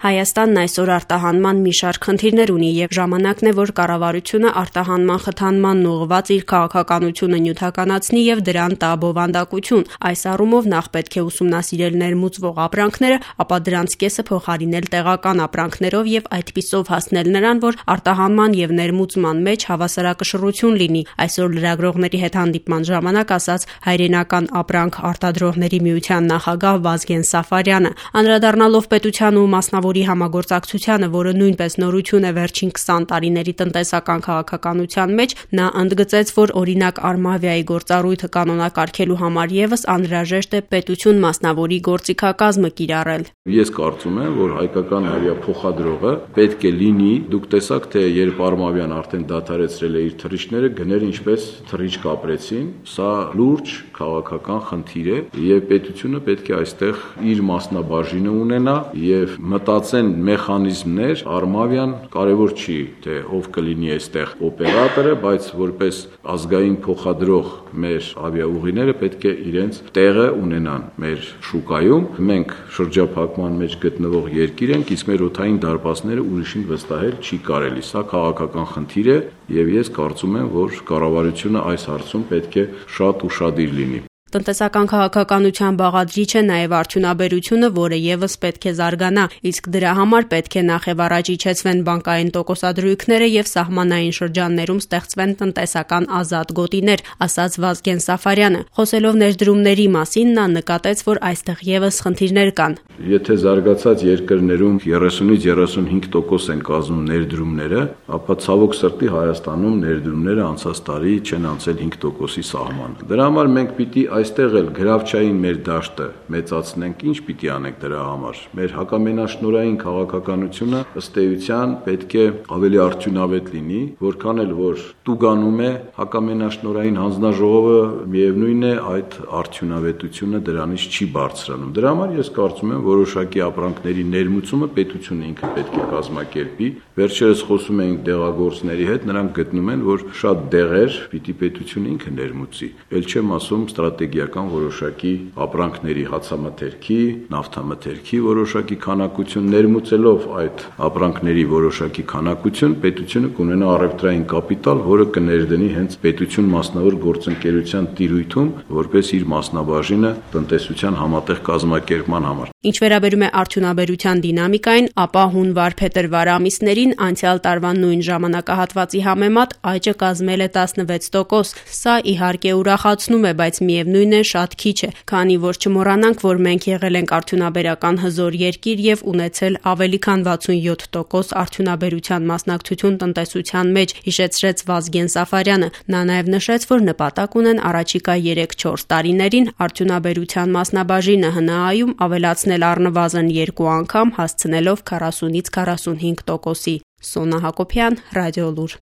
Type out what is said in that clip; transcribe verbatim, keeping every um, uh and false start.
Հայաստանն այսօր արտահանման մի շարք խնդիրներ ունի եւ ժամանակն է, որ կառավարությունը արտահանման խթանմանն ուղղված իր քաղաքականությունը նյութականացնի եւ դրան տա բովանդակություն։ Այս առումով նախ պետք է ուսումնասիրել ներմուծվող ապրանքները, ապա դրանց կեսը փոխարինել տեղական ապրանքներով եւ այդպիսով հասնել նրան, որ արտահանման եւ ներմուծման մեջ հավասարակշռություն լինի։ Այսօր լրագրողների հետ հանդիպման ժամանակ ասաց հայրենական ապրանք արտադրողների միության նախագահ Վազգեն Սաֆարյանը, անդրադառնալով պետության ու մասնավոր համագործակցությանը, որը նույնպես նորություն է վերջին քսան տարիների տնտեսական քաղաքականության մեջ, նա ընդգծեց, որ օրինակ Արմավիայի գործառույթը կանոնակարգելու համար եւս անհրաժեշտ է պետություն մասնավորի գործիքակազմը կիրառել։ Ես կարծում եմ, որ հայկական ավիափոխադրողը պետք է լինի, դուք տեսաք, թե երբ Արմավյան արդեն դադարեցրել է իր թռիչքները, գներ ինչպես թռիչք ապրեցին, սա լուրջ քաղաքական խնդիր է եւ պետությունը պետք է այստեղ իր մասնաբաժինը ունենա եւ մտածեն մեխանիզմներ, Արմավյան կարևոր չի, թե ով կլինի այստեղ օպերատորը, բայց որպես ազգային փոխադրող մեր ավիաուղիները պետք է իրենց տեղը ունենան մեր շուկայում։ Մենք շրջափակման մեջ գտնվող երկիր ենք, իսկ մեր օդային դարպասները ուրիշին վստահել չի կարելի։ Սա քաղաքական խնդիր է եւ ես կարծում եմ, որ կառավարությունը այս հարցում պետք է շատ ուշադիր լինի։ Տնտեսական քաղաքականության բաղադրիչ է նաև արդյունաբերությունը, որը եւս պետք է զարգանա, իսկ դրա համար պետք է նախ եւ առաջ իջեցվեն բանկային տոկոսադրույքները եւ սահմանային շրջաններում ստեղծվեն տնտեսական ազատ գոտիներ, ասաց Վազգեն Սաֆարյանը։ Խոսելով ներդրումների մասին, նա նկատեց, որ այստեղ եւս խնդիրներ կան։ Եթե զարգացած երկրներում երեսունից երեսունհինգ տոկոս են կազմում ներդրումները, ապա ցավոք սրտի Հայաստանում ներդրումները անցած տարի չեն անցել հինգ տոկոսի սահմանը։ Դրա համար մենք պիտի այստեղ էլ գրավչային մեր դաշտը մեծացնենք, ինչ պիտի անենք դրա համար։ Մեր հակամենաշնորհային քաղաքականությունը ըստ էության պետք է ավելի արդյունավետ լինի, որքան էլ որ տուգանում է հակամենաշնորհային հանձնաժողովը, միևնույն է այդ արդյունավետությունը դրանից չի բարձրանում։ Դրա համար ես կարծում եմ, որոշակի ապրանքների ներմուծումը պետությունը ինքը պետք է կազմակերպի։ Վերջերս խոսում էինք դեղագործների հետ, նրանք գտնում են, որ շատ դեղեր պիտի պետությունը ինքը ներմուծի։ Էլ չեմ ասում ստրատեգիական որոշակի ապրանքների հացամթերքի, նավթամթերքի որոշակի քանակություն ներմուծելով այդ ապրանքների որոշակի քանակություն, պետությունը կունենա առևտրային կապիտալ, որը կներդնի հենց պետություն մասնավոր գործընկերության տիրույթում, որպես իր մասնաբաժինը տնտեսության համատեղ կազմակերպման համար։ Ինչ վերաբերում է արդյունաբերության դինամիկային, ապա հունվար-փետրվար ամիսներին անցյալ տարվա նույն ժամանակահատվածի համեմատ աճը կազմել է տասնվեց տոկոս։ Սա իհարկե ուրախացնում է, բայց միևնույն է շատ քիչ է, քանի որ չմոռանանք, որ մենք եղել ենք արդյունաբերական հզոր երկիր եւ ունեցել ավելի քան վաթսունյոթ տոկոս արդյունաբերության մասնակցություն տնտեսության մեջ, հիշեցրեց Վազգեն Սաֆարյանը։ Նա նաեւ նշեց, որ նպատակ ունեն առաջիկա երեք-չորս տարիներին արդյունաբերության մասնաբաժինը ՀՆԱ-ում ավելացնել առնվազն երկու անգամ, հասցնելով քառասունից քառասունհինգ տոկոսի։ Սոնա Հակոբյան, Ռադիոլուր։